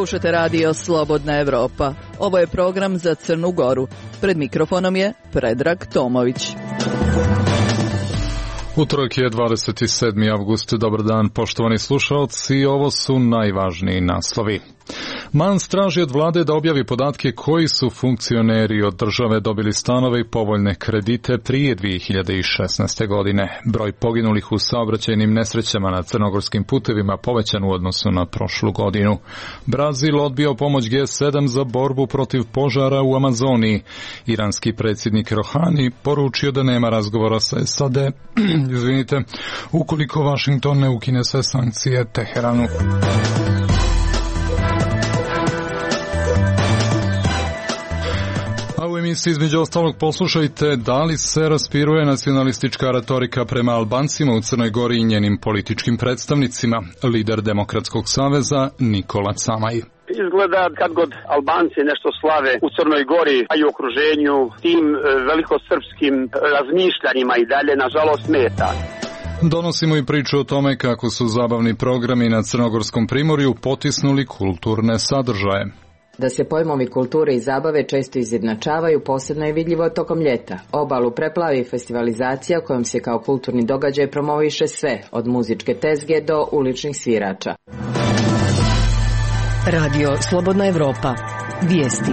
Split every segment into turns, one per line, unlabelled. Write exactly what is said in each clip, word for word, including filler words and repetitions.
Slušate radio Slobodna Evropa. Ovo je program za Crnu Goru. Pred mikrofonom je Predrag Tomović.
Utorak je dvadeset sedmi avgust. Dobar dan, poštovani slušalci. Ovo su najvažniji naslovi. Mans traži od vlade da objavi podatke koji su funkcioneri od države dobili stanove i povoljne kredite prije dvije hiljade šesnaeste. godine. Broj poginulih u saobraćajnim nesrećama na crnogorskim putevima povećan u odnosu na prošlu godinu. Brazil odbio pomoć G sedam za borbu protiv požara u Amazoniji. Iranski predsjednik Rohani poručio da nema razgovora sa S A D, izvinite, ukoliko Washington ne ukine sve sankcije Teheranu. A u emisiji između ostalog poslušajte da li se raspiruje nacionalistička retorika prema Albancima u Crnoj Gori i njenim političkim predstavnicima. Lider Demokratskog saveza Nikola Camaj.
Izgleda kad god Albanci nešto slave u Crnoj Gori, a i u okruženju, tim velikosrpskim razmišljanjima i dalje nažalost smeta.
Donosimo i priču o tome kako su zabavni programi na Crnogorskom primorju potisnuli kulturne sadržaje.
Da se pojmovi kulture i zabave često izjednačavaju, posebno je vidljivo tokom ljeta. Obalu preplavi festivalizacija kojom se kao kulturni događaj promoviše sve, od muzičke tezge do uličnih svirača.
Radio Slobodna Evropa. Vijesti.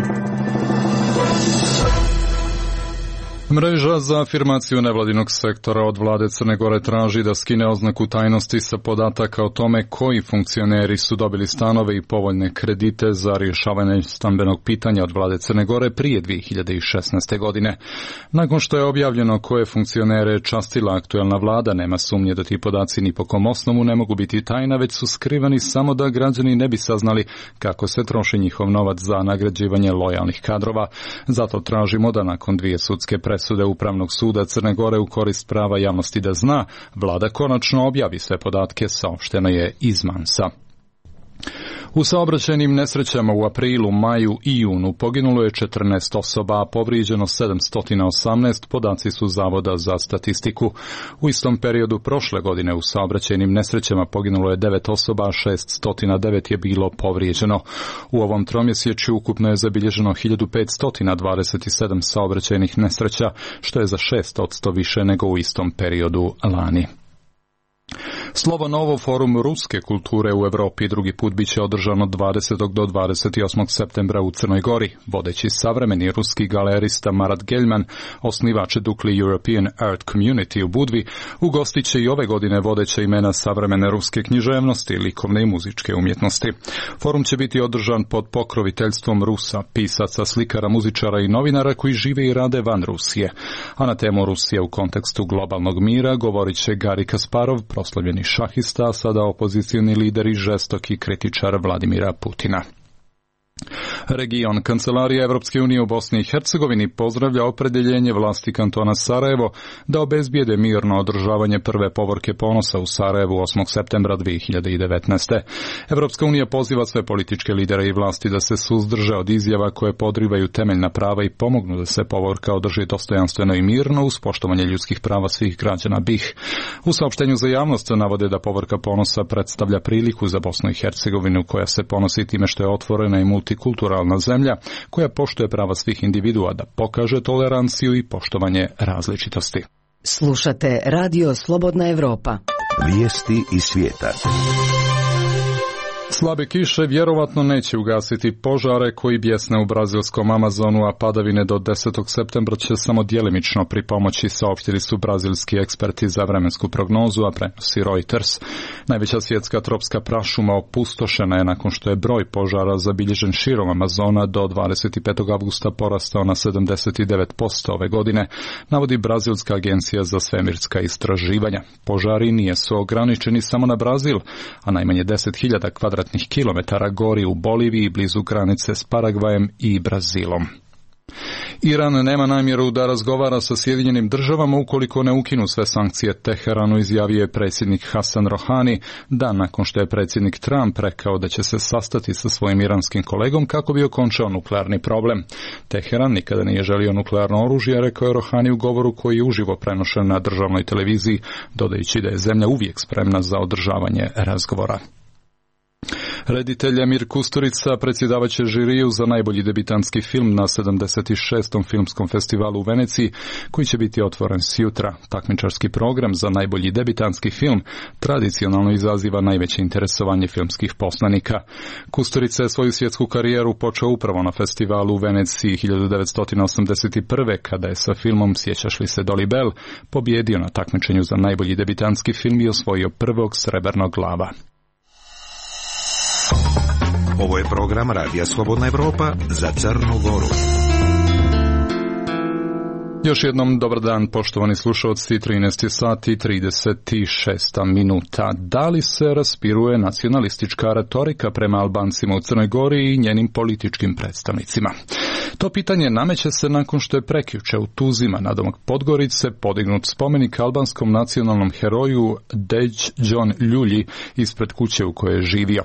Mreža za afirmaciju nevladinog sektora od vlade Crne Gore traži da skine oznaku tajnosti sa podataka o tome koji funkcioneri su dobili stanove i povoljne kredite za rješavanje stambenog pitanja od vlade Crne Gore prije dvije hiljade šesnaeste. godine. Nakon što je objavljeno koje funkcionere častila aktuelna vlada, nema sumnje da ti podaci ni po kom osnovu ne mogu biti tajna, već su skrivani samo da građani ne bi saznali kako se troši njihov novac za nagrađivanje lojalnih kadrova. Zato tražimo da nakon dvije sudske presude Upravnog suda Crne Gore u korist prava javnosti da zna, vlada konačno objavi sve podatke, saopšteno je iz Mansa. U saobraćajnim nesrećama u aprilu, maju i junu poginulo je četrnaest osoba, a povrijeđeno sedamsto osamnaest, podaci su Zavoda za statistiku. U istom periodu prošle godine u saobraćajnim nesrećama poginulo je devet osoba, a šeststo devet je bilo povrijeđeno. U ovom tromjesečju ukupno je zabilježeno hiljadu petsto dvadeset sedam saobraćajnih nesreća, što je za šest posto više nego u istom periodu lani. Slovo Novo, forum ruske kulture u Europi, drugi put biće održano dvadesetog do dvadeset osmog septembra u Crnoj Gori. Vodeći savremeni ruski galerista Marat Geljman, osnivač Dukli European Art Community u Budvi, ugostit će i ove godine vodeća imena savremene ruske književnosti, likovne i muzičke umjetnosti. Forum će biti održan pod pokroviteljstvom Rusa, pisaca, slikara, muzičara i novinara koji žive i rade van Rusije. A na temu Rusije u kontekstu globalnog mira govorit će Gari Kasparov, proslavljeni šahista, a sada opozicioni lider i žestoki kritičar Vladimira Putina. Region Kancelarija Evropske unije u Bosni i Hercegovini pozdravlja opredjeljenje vlasti kantona Sarajevo da obezbijede mirno održavanje prve povorke ponosa u Sarajevu osmog septembra dvije hiljade devetnaeste. Evropska unija poziva sve političke lidere i vlasti da se suzdrže od izjava koje podrivaju temeljna prava i pomognu da se povorka održi dostojanstveno i mirno uz poštovanje ljudskih prava svih građana B i H. U saopštenju za javnost navode da povorka ponosa predstavlja priliku za Bosnu i Hercegovinu koja se ponosi time što je otvorena i multikulturalna zemlja koja poštuje prava svih individua, da pokaže toleranciju i poštovanje različitosti.
Slušate Radio Slobodna Evropa.
Vijesti iz svijeta.
Slabe kiše vjerovatno neće ugasiti požare koji bjesne u brazilskom Amazonu, a padavine do desetog septembra će samo djelimično pripomoći, saopštili su brazilski eksperti za vremensku prognozu, a prenosi Reuters. Najveća svjetska tropska prašuma opustošena je nakon što je broj požara zabilježen širom Amazona do dvadeset petog avgusta porastao na sedamdeset devet posto ove godine, navodi brazilska agencija za svemirska istraživanja. Požari nisu ograničeni samo na Brazil, a najmanje deset hiljada kvadratnih kilometara gori u Boliviji blizu granice s Paragvajem i Brazilom. Iran nema namjeru da razgovara sa Sjedinjenim državama ukoliko ne ukinu sve sankcije Teheranu, izjavio je predsjednik Hasan Rohani dan nakon što je predsjednik Trump rekao da će se sastati sa svojim iranskim kolegom kako bi okončao nuklearni problem. Teheran nikada nije želio nuklearno oružje, rekao je Rohani u govoru koji je uživo prenošen na državnoj televiziji, dodajući da je zemlja uvijek spremna za održavanje razgovora. Reditelj Emir Kusturica predsjedavaće žiriju za najbolji debitanski film na sedamdeset šestom filmskom festivalu u Veneciji, koji će biti otvoren sjutra. Takmičarski program za najbolji debitanski film tradicionalno izaziva najveće interesovanje filmskih poslanika. Kusturica je svoju svjetsku karijeru počeo upravo na festivalu u Veneciji hiljadu devetsto osamdeset prve. kada je sa filmom Sjećaš li se Dolly Bell pobjedio na takmičenju za najbolji debitanski film i osvojio prvog srebrnog lava.
Ovo je program Radija Slobodna Evropa za Crnu Goru.
Još jednom dobar dan, poštovani slušalci, trinaest sati i trideset šest minuta. Da li se raspiruje nacionalistička retorika prema Albancima u Crnoj Gori i njenim političkim predstavnicima? To pitanje nameće se nakon što je prekjuče u Tuzima nadomak Podgorice podignut spomenik albanskom nacionalnom heroju Deđon Ljulji ispred kuće u kojoj je živio.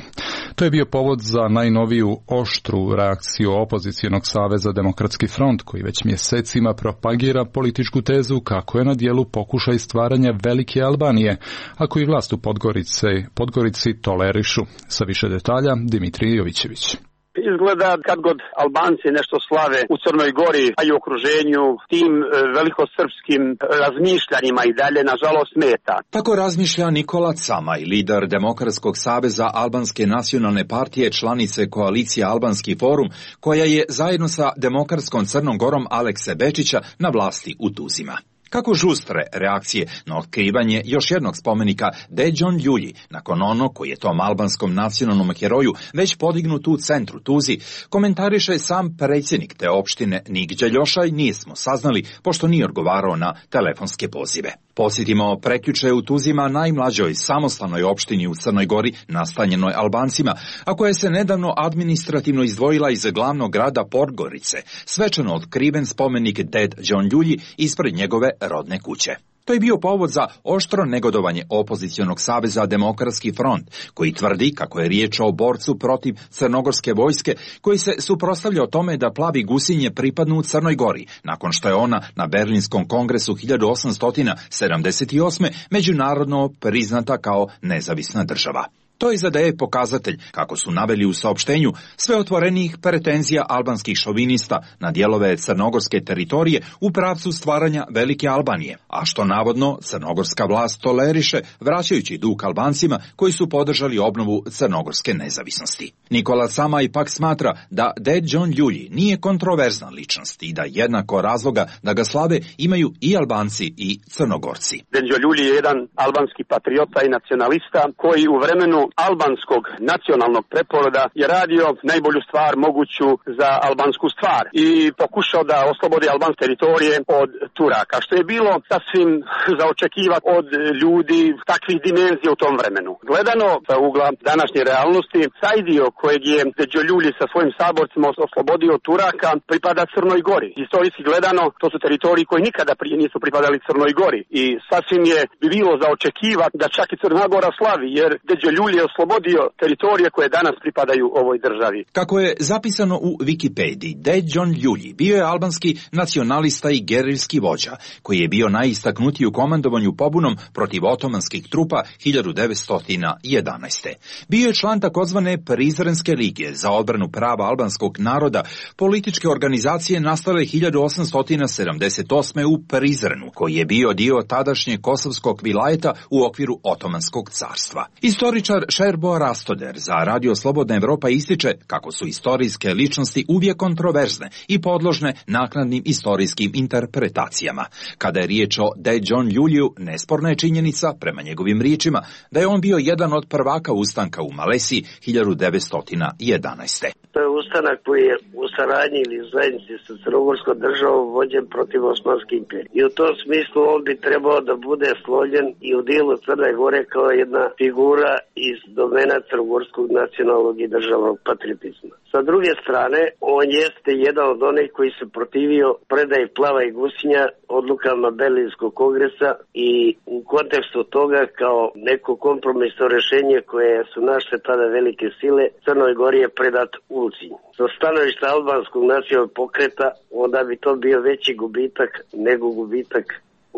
To je bio povod za najnoviju oštru reakciju opozicionog saveza Demokratski front, koji već mjesecima propagira političku tezu kako je na dijelu pokušaj stvaranja velike Albanije, a koji vlast u Podgorice, Podgorici tolerišu. Sa više detalja, Dimitrij Jovićević.
Izgleda kad god Albanci nešto slave u Crnoj Gori, a i u okruženju, tim velikosrpskim razmišljanjima i dalje, nažalost, smeta.
Tako razmišlja Nikola Camaj, lider Demokratskog saveza Albanske nacionalne partije, članice koalicije Albanski forum, koja je zajedno sa Demokratskom Crnom Gorom Alekse Bečića na vlasti u Tuzima. Kako žustre reakcije na otkrivanje još jednog spomenika Deđon Ljulji, nakon onog koji je tom albanskom nacionalnom heroju već podignut u centru Tuzi, komentariše sam predsjednik te opštine Nigđa Ljošaj, nismo saznali pošto nije odgovarao na telefonske pozive. Podsjetimo, prekjuče u Tuzima, najmlađoj samostalnoj opštini u Crnoj Gori, nastanjenoj Albancima, a koja se nedavno administrativno izdvojila iz glavnog grada Podgorice, svečano otkriven spomenik Deđon Ljulji ispred njegove rodne kuće. To je bio povod za oštro negodovanje opozicionog saveza Demokratski front, koji tvrdi kako je riječ o borcu protiv crnogorske vojske, koji se suprotstavlja o tome da plavi gusinje pripadnu u Crnoj Gori, nakon što je ona na Berlinskom kongresu hiljadu osamsto sedamdeset osme međunarodno priznata kao nezavisna država. To izadaje pokazatelj, kako su naveli u saopštenju, sve otvorenijih pretenzija albanskih šovinista na dijelove crnogorske teritorije u pravcu stvaranja velike Albanije, a što navodno crnogorska vlast toleriše, vraćajući dug Albancima koji su podržali obnovu crnogorske nezavisnosti. Nikola Camaj pak smatra da Deđon Ljulji nije kontroverzna ličnost i da jednako razloga da ga slave imaju i Albanci i Crnogorci.
Deđon Ljulji je jedan albanski patriota i nacionalista koji u vremenu albanskog nacionalnog preporoda je radio najbolju stvar moguću za albansku stvar i pokušao da oslobodi albanske teritorije od Turaka, što je bilo sasvim za očekivati od ljudi takvih dimenzija u tom vremenu. Gledano sa ugla današnje realnosti, taj dio kojeg je Deđon Ljulji sa svojim saborcima oslobodio od Turaka pripada Crnoj Gori. Historijski gledano, to su teritoriji koji nikada prije nisu pripadali Crnoj Gori i sasvim je bi bilo za očekivati da čak i Crna Gora slavi, jer Deđon Ljulji je oslobodio teritorije koje danas pripadaju ovoj državi.
Kako je zapisano u Wikipediji, Deđon Ljulji bio je albanski nacionalista i gerilski vođa, koji je bio najistaknutiji u komandovanju pobunom protiv otomanskih trupa hiljadu devetsto jedanaeste. Bio je član takozvane Prizrenske lige za odbranu prava albanskog naroda, političke organizacije nastale hiljadu osamsto sedamdeset osme u Prizrenu, koji je bio dio tadašnje kosovskog vilajeta u okviru Otomanskog carstva. Istoričar Šerbo Rastoder za Radio Slobodna Evropa ističe kako su istorijske ličnosti uvijek kontroverzne i podložne naknadnim istorijskim interpretacijama. Kada je riječ o Deđon Ljuljiju, nesporna je činjenica, prema njegovim riječima, da je on bio jedan od prvaka ustanka u Malesiji hiljadu devetsto jedanaeste.
To je ustanak koji je u saradnji ili zajednici sa crnogorskom državom vođen protiv Osmanske imperije. I u tom smislu on bi trebao da bude slovljen i u dijelu Crne Gore kao jedna figura iz domena crnogorskog nacionalnog i državnog patriotizma. Sa druge strane, on jeste jedan od onih koji se protivio predaji Plava i Gusinja odlukama Berlinskog kongresa i u kontekstu toga kao neko kompromisno rješenje koje su našle tada velike sile, Crnoj Gori je predat Ulcinj. Sa stanovišta albanskog nacionalnog pokreta, onda bi to bio veći gubitak nego gubitak,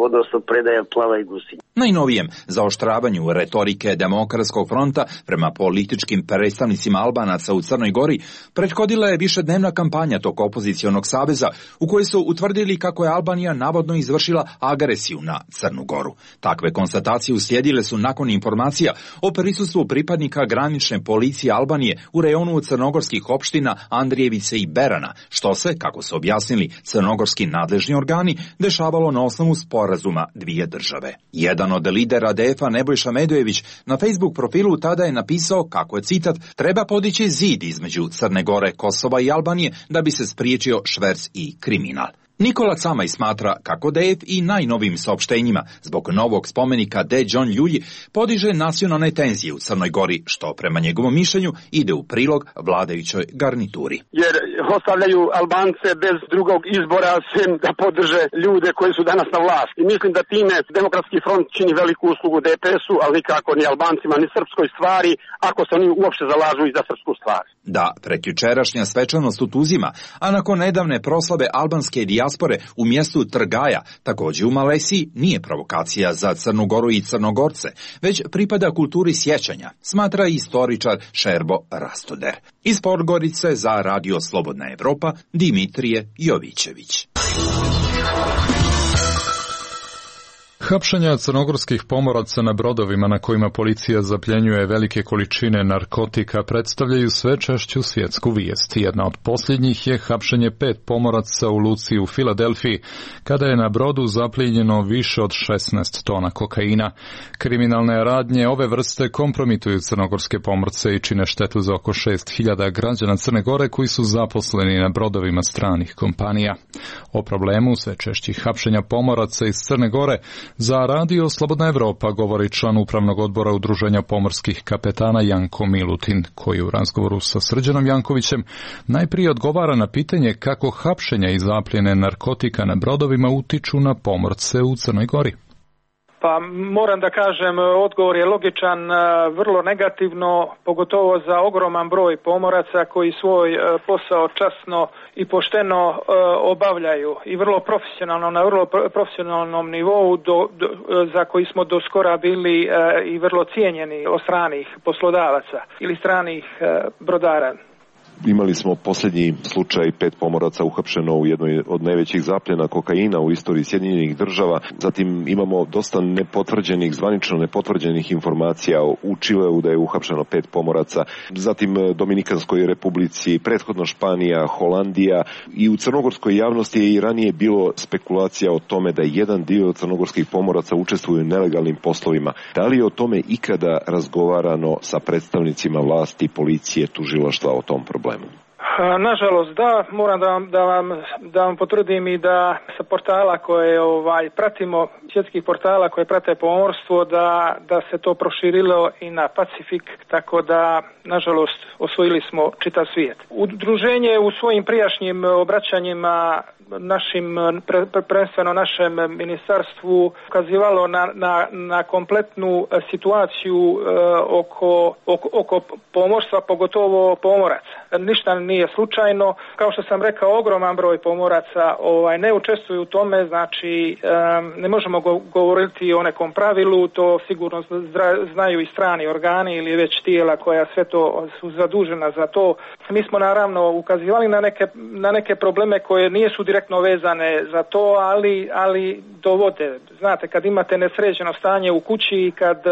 odnosno predaja Plava i Gusinja.
Najnovijem zaoštravanju retorike Demokratskog fronta prema političkim predstavnicima Albanaca u Crnoj Gori prethodila je višednevna kampanja tog opozicionog saveza u kojoj su utvrdili kako je Albanija navodno izvršila agresiju na Crnu Goru. Takve konstatacije uslijedile su nakon informacija o prisustvu pripadnika granične policije Albanije u rejonu crnogorskih opština Andrijevice i Berana, što se, kako su objasnili crnogorski nadležni organi, dešavalo na osnovu sporazuma dvije države. Jedan od lidera D F A Nebojša Medojević na Facebook profilu tada je napisao kako je, citat, treba podići zid između Crne Gore, Kosova i Albanije da bi se spriječio šverc i kriminal. Nikola Camaj smatra kako D F i najnovim saopštenjima zbog novog spomenika D. John Ljulji podiže nacionalne tenzije u Crnoj Gori, što prema njegovom mišljenju ide u prilog vladajućoj garnituri.
Jer ostavljaju Albance bez drugog izbora sem da podrže ljude koji su danas na vlasti. I mislim da time Demokratski front čini veliku uslugu D P S-u, ali nikako ni Albancima, ni srpskoj stvari, ako se oni uopšte zalažu i za srpsku stvar.
Da, prekjučerašnja svečanost u Tuzima, a nakon nedavne proslave albanske dijaspore u mjestu Trgaja, također u Malesiji, nije provokacija za Crnu Goru i Crnogorce, već pripada kulturi sjećanja, smatra istoričar Šerbo Rastoder. Iz Podgorice za Radio Slobodna Evropa, Dimitrije Jovićević.
Hapšenja crnogorskih pomoraca na brodovima na kojima policija zapljenjuje velike količine narkotika predstavljaju sve češću svjetsku vijest. Jedna od posljednjih je hapšenje pet pomoraca u luci u Filadelfiji, kada je na brodu zaplijenjeno više od šesnaest tona kokaina. Kriminalne radnje ove vrste kompromituju crnogorske pomorce i čine štetu za oko šest hiljada građana Crne Gore koji su zaposleni na brodovima stranih kompanija. O problemu sve češćih hapšenja pomoraca iz Crne Gore za Radio Slobodna Evropa govori član upravnog odbora Udruženja pomorskih kapetana Janko Milutin, koji u razgovoru sa Srđanom Jankovićem najprije odgovara na pitanje kako hapšenja i zapljene narkotika na brodovima utiču na pomorce u Crnoj Gori.
Pa moram da kažem, odgovor je logičan, vrlo negativno, pogotovo za ogroman broj pomoraca koji svoj posao časno i pošteno obavljaju i vrlo profesionalno, na vrlo profesionalnom nivou do, do, za koji smo do skora bili i vrlo cijenjeni od stranih poslodavaca ili stranih brodara.
Imali smo posljednji slučaj pet pomoraca uhapšeno u jednoj od najvećih zapljena kokaina u istoriji Sjedinjenih država. Zatim imamo dosta nepotvrđenih, zvanično nepotvrđenih informacija u Čileu da je uhapšeno pet pomoraca. Zatim Dominikanskoj republici, prethodno Španija, Holandija i u crnogorskoj javnosti je i ranije bilo spekulacija o tome da jedan dio crnogorskih pomoraca učestvuju u nelegalnim poslovima. Da li je o tome ikada razgovarano sa predstavnicima vlasti, policije, tužilaštva o tom problemu?
Nažalost da, moram da vam, da vam, da vam potvrdim i da sa portala koje ovaj, pratimo, svjetskih portala koje prate pomorstvo, da, da se to proširilo i na Pacifik, tako da nažalost osvojili smo čitav svijet. Udruženje u svojim prijašnjim obraćanjima našim, prvenstveno našem ministarstvu, ukazivalo na, na, na kompletnu situaciju e, oko, oko, oko pomorstva, pogotovo pomoraca. Ništa nije slučajno. Kao što sam rekao, ogroman broj pomoraca ovaj, ne učestvuju u tome, znači e, ne možemo go, govoriti o nekom pravilu, to sigurno zna, znaju i strani organi ili već tijela koja sve to su zadužena za to. Mi smo naravno ukazivali na neke, na neke probleme koje nisu direktno vezane za to, ali, ali dovode. Znate, kad imate nesređeno stanje u kući i kad,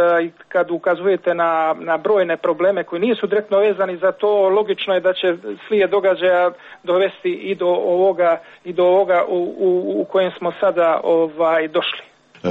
kad ukazujete na, na brojne probleme koji nisu direktno vezani za to, logično je da će slijed događaja dovesti i do ovoga, i do ovoga u, u, u kojem smo sada ovaj, došli.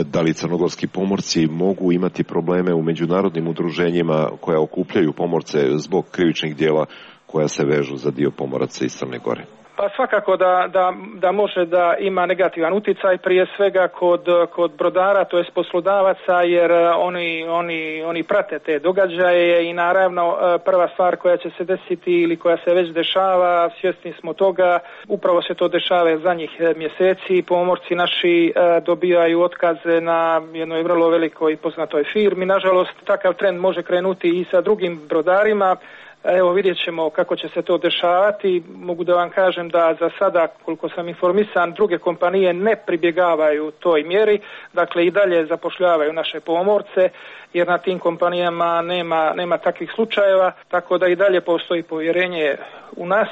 Da li crnogorski pomorci mogu imati probleme u međunarodnim udruženjima koja okupljaju pomorce zbog krivičnih djela koja se vežu za dio pomoraca iz Crne Gore?
Pa svakako da, da, da može da ima negativan utjecaj, prije svega kod, kod brodara, to jest poslodavaca, jer oni, oni, oni prate te događaje i naravno prva stvar koja će se desiti ili koja se već dešava, svjesni smo toga, upravo se to dešava zadnjih mjeseci, pomorci naši dobijaju otkaze na jednoj vrlo velikoj poznatoj firmi. Nažalost, takav trend može krenuti i sa drugim brodarima. Evo vidjet ćemo kako će se to dešavati. Mogu da vam kažem da za sada, koliko sam informisan, druge kompanije ne pribjegavaju toj mjeri, dakle i dalje zapošljavaju naše pomorce, jer na tim kompanijama nema, nema takvih slučajeva, tako da i dalje postoji povjerenje u nas.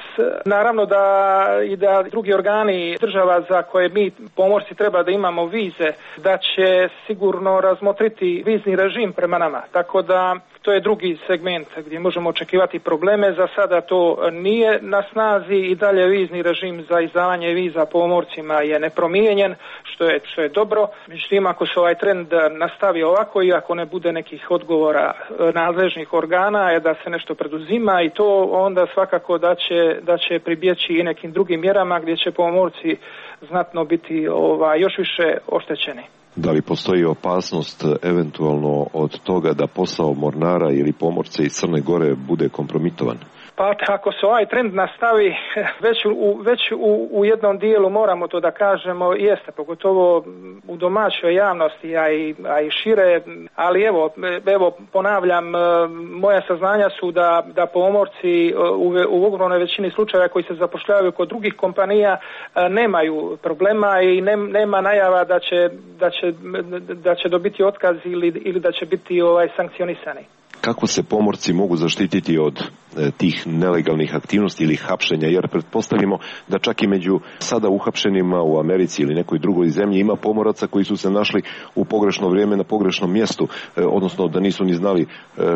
Naravno da i da drugi organi država za koje mi pomorci treba da imamo vize, da će sigurno razmotriti vizni režim prema nama, tako da to je drugi segment gdje možemo očekivati probleme. Za sada to nije na snazi i dalje vizni režim za izdavanje viza pomorcima je nepromijenjen, što je, što je dobro. Međutim, ako se ovaj trend nastavi ovako i ako ne bude nekih odgovora nadležnih organa je da se nešto preduzima i to onda svakako da će, da će pribjeći i nekim drugim mjerama gdje će pomorci znatno biti ovaj, još više oštećeni.
Da li postoji opasnost eventualno od toga da posao mornara ili pomorca iz Crne Gore bude kompromitovan?
Pa ako se ovaj trend nastavi, već, u, već u, u jednom dijelu moramo to da kažemo, jeste, pogotovo u domaćoj javnosti, a i, a i šire, ali evo, evo ponavljam, moja saznanja su da, da pomorci u, u ogromnoj većini slučajeva koji se zapošljavaju kod drugih kompanija nemaju problema i ne, nema najava da će, da će, da će dobiti otkaz ili, ili da će biti ovaj, sankcionisani.
Kako se pomorci mogu zaštititi od e, tih nelegalnih aktivnosti ili hapšenja, jer pretpostavimo da čak i među sada uhapšenima u Americi ili nekoj drugoj zemlji ima pomoraca koji su se našli u pogrešno vrijeme na pogrešnom mjestu, e, odnosno da nisu ni znali e,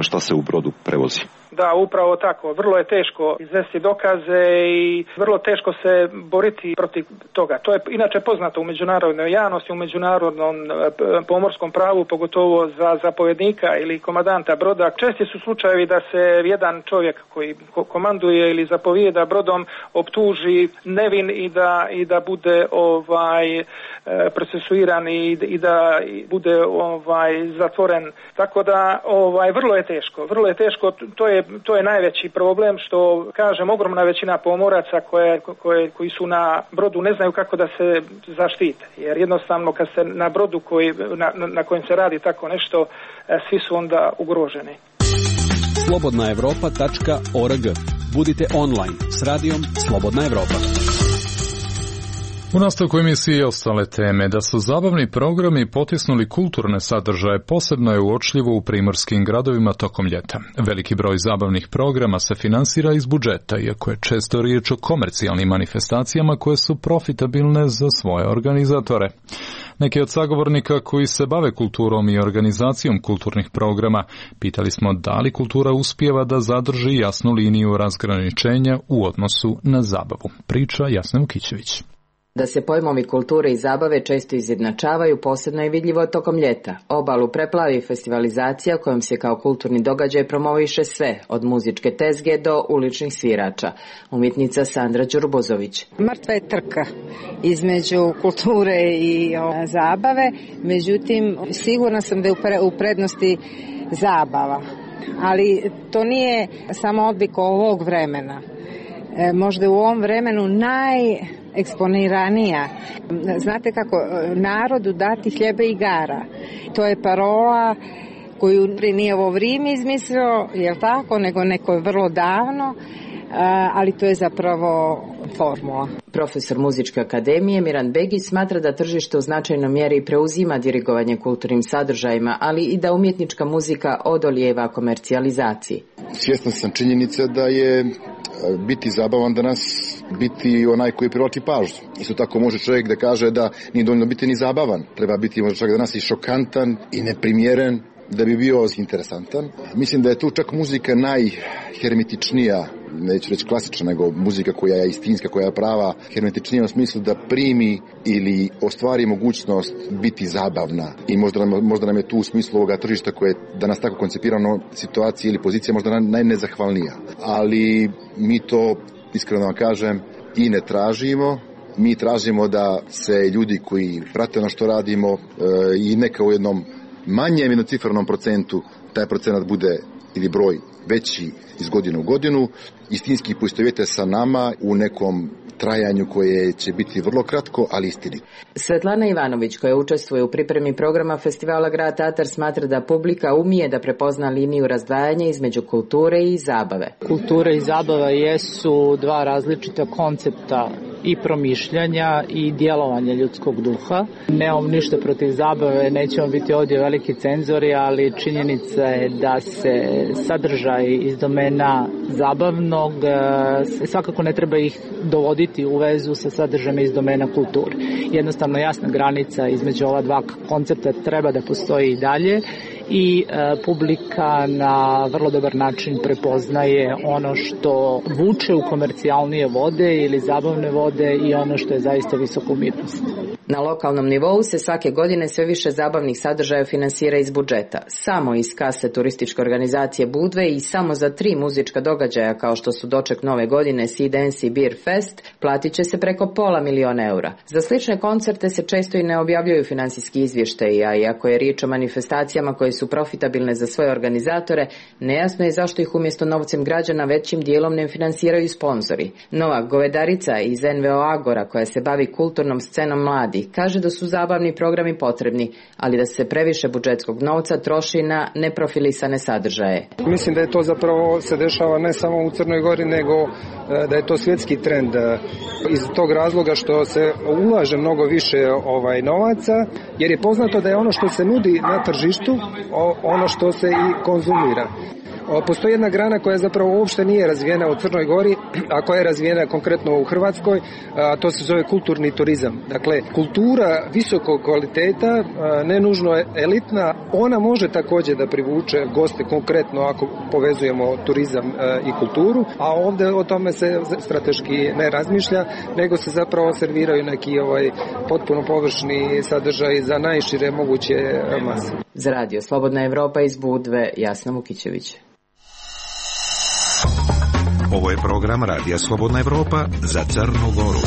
šta se u brodu prevozi.
Da, upravo tako. Vrlo je teško izvesti dokaze i vrlo teško se boriti protiv toga. To je inače poznato u međunarodnoj javnosti, u međunarodnom pomorskom pravu, pogotovo za zapovjednika ili komandanta broda. Česti su slučajevi da se jedan čovjek koji komanduje ili zapovijeda brodom optuži nevin i da, i da bude ovaj procesuiran i, i da bude ovaj zatvoren. Tako da ovaj vrlo je teško. Vrlo je teško. To je To je najveći problem, što kažem, ogromna većina pomoraca koje, koje, koji su na brodu ne znaju kako da se zaštite, jer jednostavno kad ste na brodu koji, na, na kojem se radi tako nešto, svi su onda ugroženi.
slobodna evropa tačka org. Budite online s radijom Slobodna Evropa.
U nastavku emisije i ostale teme. Da su zabavni programi potisnuli kulturne sadržaje posebno je uočljivo u primorskim gradovima tokom ljeta. Veliki broj zabavnih programa se finansira iz budžeta, iako je često riječ o komercijalnim manifestacijama koje su profitabilne za svoje organizatore. Neki od sagovornika koji se bave kulturom i organizacijom kulturnih programa pitali smo da li kultura uspijeva da zadrži jasnu liniju razgraničenja u odnosu na zabavu. Priča Jasna Vukićević.
Da se pojmovi kulture i zabave često izjednačavaju, posebno je vidljivo tokom ljeta. Obalu preplavi festivalizacija kojom se kao kulturni događaj promoviše sve, od muzičke tezge do uličnih svirača. Umjetnica Sandra Đurbozović.
Mrtva je trka između kulture i o, zabave, međutim sigurna sam da je u prednosti zabava. Ali to nije samo odlik ovog vremena. E, možda u ovom vremenu najeksponiranija. Znate kako, narodu dati hljebe i igara. To je parola koju nije ovo vrijeme izmislio, jel tako, nego neko je vrlo davno, ali to je zapravo formula.
Profesor Muzičke akademije Miran Begić smatra da tržište u značajnoj mjeri preuzima dirigovanje kulturnim sadržajima, ali i da umjetnička muzika odolijeva komercijalizaciji.
Svjestan sam činjenice da je biti zabavan danas biti onaj koji privlači pažnju. Isto tako može čovjek da kaže da nije dovoljno biti ni zabavan. Treba biti možda čak danas i šokantan i neprimjeren da bi bio interesantan. Mislim da je tu čak muzika najhermetičnija, neću reći klasična, nego muzika koja je istinska, koja je prava, hermetičnija u smislu da primi ili ostvari mogućnost biti zabavna. I možda nam, možda nam je tu u smislu ovoga tržišta koje je danas tako koncipirano situacija ili pozicija možda najnezahvalnija. Ali mi to, iskreno vam kažem, i ne tražimo. Mi tražimo da se ljudi koji prate ono što radimo e, i neka u jednom manjem jednocifrenom procentu taj procenat bude ili broj veći iz godine u godinu, istinski poistovjete sa nama u nekom trajanju koje će biti vrlo kratko, ali istinito.
Svetlana Ivanović, koja učestvuje u pripremi programa festivala Grad Tatar, smatra da publika umije da prepozna liniju razdvajanja između kulture i zabave.
Kultura i zabava jesu dva različita koncepta i promišljanja i djelovanja ljudskog duha. Nemam ništa protiv zabave, nećemo biti ovdje veliki cenzori, ali činjenica je da se sadržaj iz domena zabavnog svakako ne treba ih dovoditi u vezu sa sadržajem iz domena kulture. Jednostavno jasna granica između ova dva koncepta treba da postoji i dalje i e, publika na vrlo dobar način prepoznaje ono što vuče u komercijalnije vode ili zabavne vode i ono što je zaista visoka umjetnost.
Na lokalnom nivou se svake godine sve više zabavnih sadržaja finansira iz budžeta. Samo iz kase turističke organizacije Budve i samo za tri muzička događaja kao što su doček nove godine, Sea Dance i Beer Fest, platit će se preko pola miliona eura. Za slične koncerte se često i ne objavljuju finansijski izvještaji, a iako je riječ o manifestacijama koje su profitabilne za svoje organizatore, nejasno je zašto ih umjesto novcem građana većim dijelom ne finansiraju sponzori. Nova Govedarica iz N V O Agora, koja se bavi kulturnom scenom mladi, kaže da su zabavni programi potrebni, ali da se previše budžetskog novca troši na neprofilisane sadržaje.
Mislim da je to zapravo se dešava ne samo u Crnoj Gori, nego da je to svjetski trend iz tog razloga što se ulaže mnogo više ovaj novaca, jer je poznato da je ono što se nudi na tržištu ono što se i konzumira. Postoji jedna grana koja zapravo uopšte nije razvijena u Crnoj Gori, a koja je razvijena konkretno u Hrvatskoj, a to se zove kulturni turizam. Dakle, kultura visokog kvaliteta, ne nužno elitna, ona može također da privuče goste konkretno ako povezujemo turizam i kulturu, a ovdje o tome se strateški ne razmišlja, nego se zapravo serviraju neki ovaj potpuno površni sadržaj za najšire moguće mase.
Za Radio Slobodna Evropa iz Budve, Jasna Vukićević.
Ovo je program Radija Slobodna Evropa za Crnu Goru.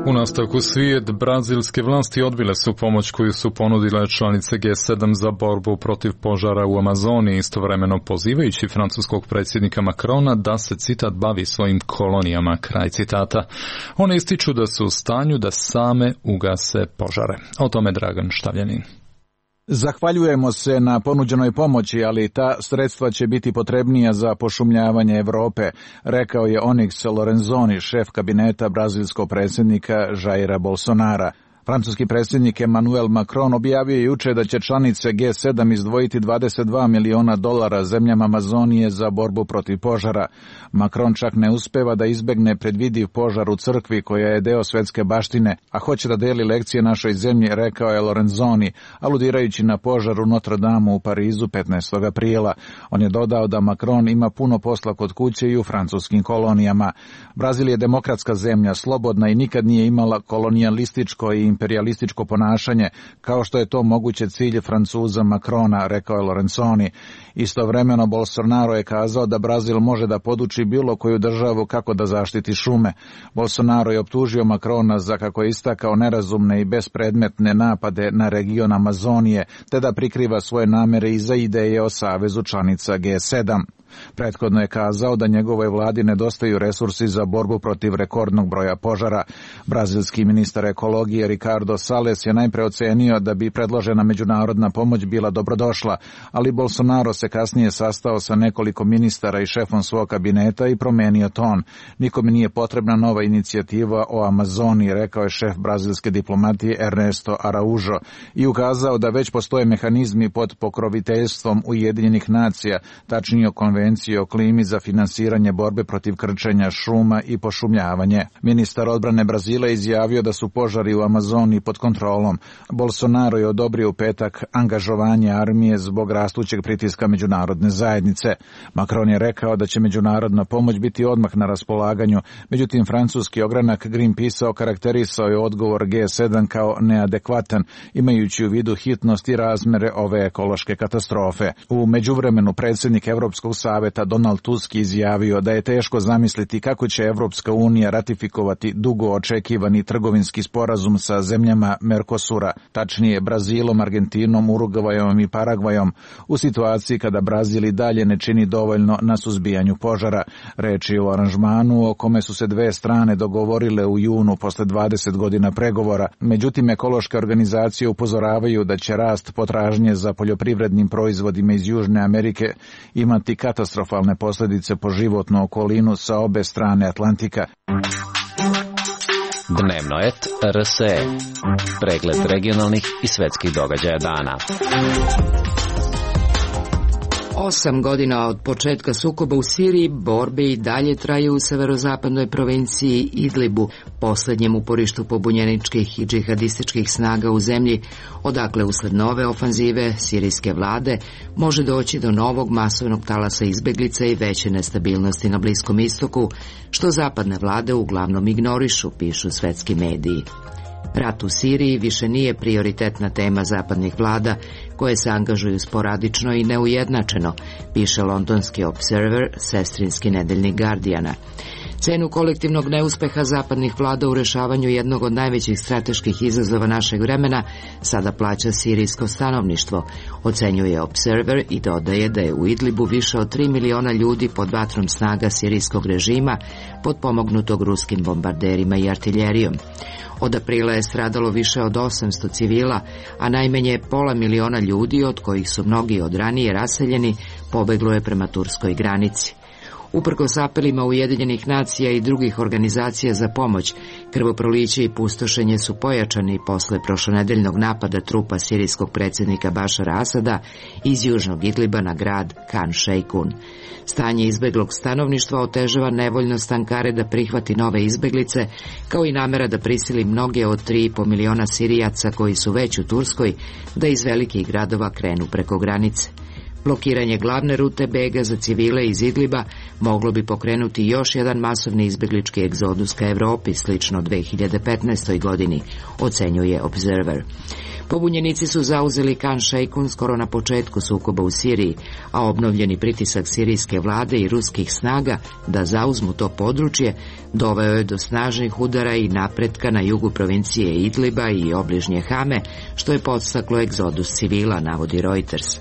U nastavku svijet, brazilske vlasti odbile su pomoć koju su ponudile članice G sedam za borbu protiv požara u Amazoniji, istovremeno pozivajući francuskog predsjednika Macrona da se, citat, bavi svojim kolonijama, kraj citata. One ističu da su u stanju da same ugase požare. O tome Dragan Štavljanin.
Zahvaljujemo se na ponuđenoj pomoći, ali ta sredstva će biti potrebnija za pošumljavanje Evrope, rekao je Onyx Lorenzoni, šef kabineta brazilskog predsjednika Jaira Bolsonara. Francuski predsjednik Emmanuel Macron objavio je juče da će članice G sedam izdvojiti dvadeset dva miliona dolara zemljama Amazonije za borbu protiv požara. Macron čak ne uspeva da izbegne predvidiv požar u crkvi koja je deo svjetske baštine, a hoće da deli lekcije našoj zemlji, rekao je Lorenzoni, aludirajući na požar u Notre Dame u Parizu petnaestog aprila. On je dodao da Macron ima puno posla kod kuće i u francuskim kolonijama. Brazil je demokratska zemlja, slobodna i nikad nije imala kolonijalističko i imperialističko ponašanje, kao što je to moguće cilj Francuza Macrona, rekao je Lorenzoni. Istovremeno Bolsonaro je kazao da Brazil može da poduči bilo koju državu kako da zaštiti šume. Bolsonaro je optužio Macrona za, kako je istakao, nerazumne i bespredmetne napade na region Amazonije, te da prikriva svoje namere iza ideje o savezu članica G sedam. Prethodno je kazao da njegovoj vladi nedostaju resursi za borbu protiv rekordnog broja požara. Brazilski ministar ekologije Ricardo Salles je najpre ocenio da bi predložena međunarodna pomoć bila dobrodošla, ali Bolsonaro se kasnije sastao sa nekoliko ministara i šefom svog kabineta i promenio ton. Nikome nije potrebna nova inicijativa o Amazoniji, rekao je šef brazilske diplomatije Ernesto Araujo i ukazao da već postoje mehanizmi pod pokroviteljstvom Ujedinjenih nacija, tačnije konvencije o klimi za finansiranje borbe protiv krčenja šuma i pošumljavanje. Ministar odbrane Brazila izjavio da su požari u Amazoniji pod kontrolom. Bolsonaro je odobrio u petak angažovanje armije zbog rastućeg pritiska međunarodne zajednice. Macron je rekao da će međunarodna pomoć biti odmah na raspolaganju, međutim francuski ogranak Greenpeace okarakterisao je odgovor G sedam kao neadekvatan, imajući u vidu hitnost i razmere ove ekološke katastrofe. U međuvremenu predsjednik Evropskog saveta Donald Tusk izjavio da je teško zamisliti kako će Evropska unija ratifikovati dugo očekivani trgovinski sporazum sa zemljama Mercosura, tačnije Brazilom, Argentinom, Urugvajom i Paragvajom, u situaciji kada Brazil i dalje ne čini dovoljno na suzbijanju požara. Reč je o aranžmanu o kome su se dve strane dogovorile u junu posle dvadeset godina pregovora. Međutim, ekološke organizacije upozoravaju da će rast potražnje za poljoprivrednim proizvodima iz Južne Amerike imati katastrofalne posljedice po životnu okolinu sa obe strane Atlantika.
Dnevno et R S E. Pregled regionalnih i svetskih događaja dana.
Osam godina od početka sukoba u Siriji, borbe i dalje traju u severozapadnoj provinciji Idlibu, posljednjem uporištu pobunjeničkih i džihadističkih snaga u zemlji, odakle usled nove ofanzive sirijske vlade može doći do novog masovnog talasa izbeglica i veće nestabilnosti na Bliskom istoku, što zapadne vlade uglavnom ignorišu, pišu svetski mediji. Rat u Siriji više nije prioritetna tema zapadnih vlada, koje se angažuju sporadično i neujednačeno, piše londonski Observer, sestrinski nedeljnik Guardiana. Cenu kolektivnog neuspeha zapadnih vlada u rešavanju jednog od najvećih strateških izazova našeg vremena sada plaća sirijsko stanovništvo, ocenjuje Observer i dodaje da je u Idlibu više od tri miliona ljudi pod vatrom snaga sirijskog režima, potpomognutog ruskim bombarderima i artiljerijom. Od aprila je stradalo više od osamsto civila, a najmanje pola miliona ljudi, od kojih su mnogi od ranije raseljeni, pobeglo je prema turskoj granici. Uprkos apelima Ujedinjenih nacija i drugih organizacija za pomoć, krvoproliće i pustošenje su pojačani posle prošlonedeljnog napada trupa sirijskog predsjednika Bašara Asada iz južnog Idliba na grad Khan Sheikhoun. Stanje izbeglog stanovništva otežava nevoljnost Ankare da prihvati nove izbeglice, kao i namera da prisili mnoge od tri i po miliona Sirijaca koji su već u Turskoj da iz velikih gradova krenu preko granice. Blokiranje glavne rute bega za civile iz Idliba moglo bi pokrenuti još jedan masovni izbeglički egzodus ka Evropi, slično dve hiljade petnaestoj godini, ocenjuje Observer. Pobunjenici su zauzeli Khan Sheikhoun skoro na početku sukoba u Siriji, a obnovljeni pritisak sirijske vlade i ruskih snaga da zauzmu to područje doveo je do snažnih udara i napretka na jugu provincije Idliba i obližnje Hame, što je podstaklo egzodus civila, navodi Reuters.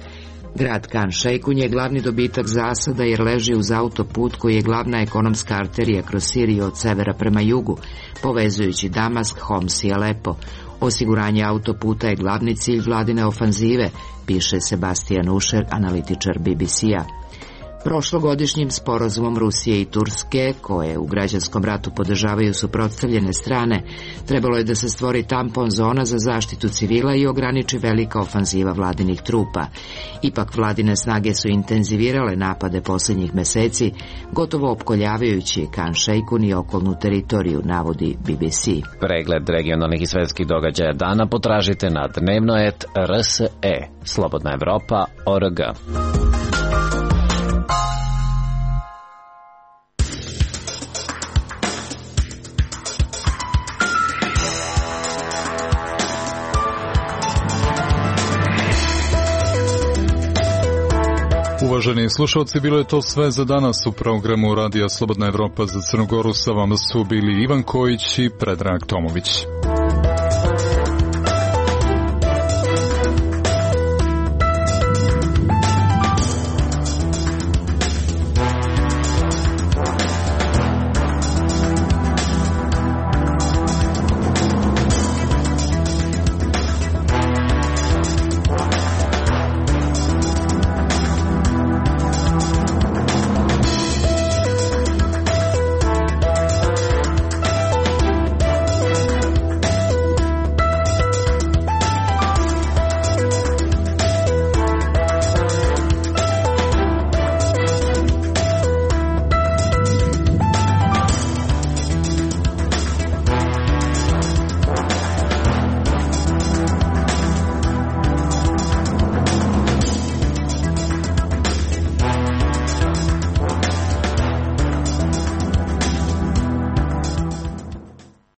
Grad Khan Sheikhoun je glavni dobitak za Asada jer leži uz autoput koji je glavna ekonomska arterija kroz Siriju od severa prema jugu, povezujući Damask, Homs i Alepo. Osiguranje autoputa je glavni cilj vladine ofanzive, piše Sebastian Usher, analitičar B B C-a. Prošlogodišnjim sporazumom Rusije i Turske, koje u građanskom ratu podržavaju suprotstavljene strane, trebalo je da se stvori tampon zona za zaštitu civila i ograniči velika ofanziva vladinih trupa. Ipak vladine snage su intenzivirale napade posljednjih meseci, gotovo opkoljavajući Khan Sheikhoun i okolnu teritoriju, navodi B B C.
Pregled regionalnih i svetskih događaja dana potražite na dnevno et R S E. Slobodna Evropa, O R G.
Uvaženi slušalci, bilo je to sve za danas u programu Radija Slobodna Evropa za Crnu Goru. Sa vama su bili Ivan Kojić i Predrag Tomović.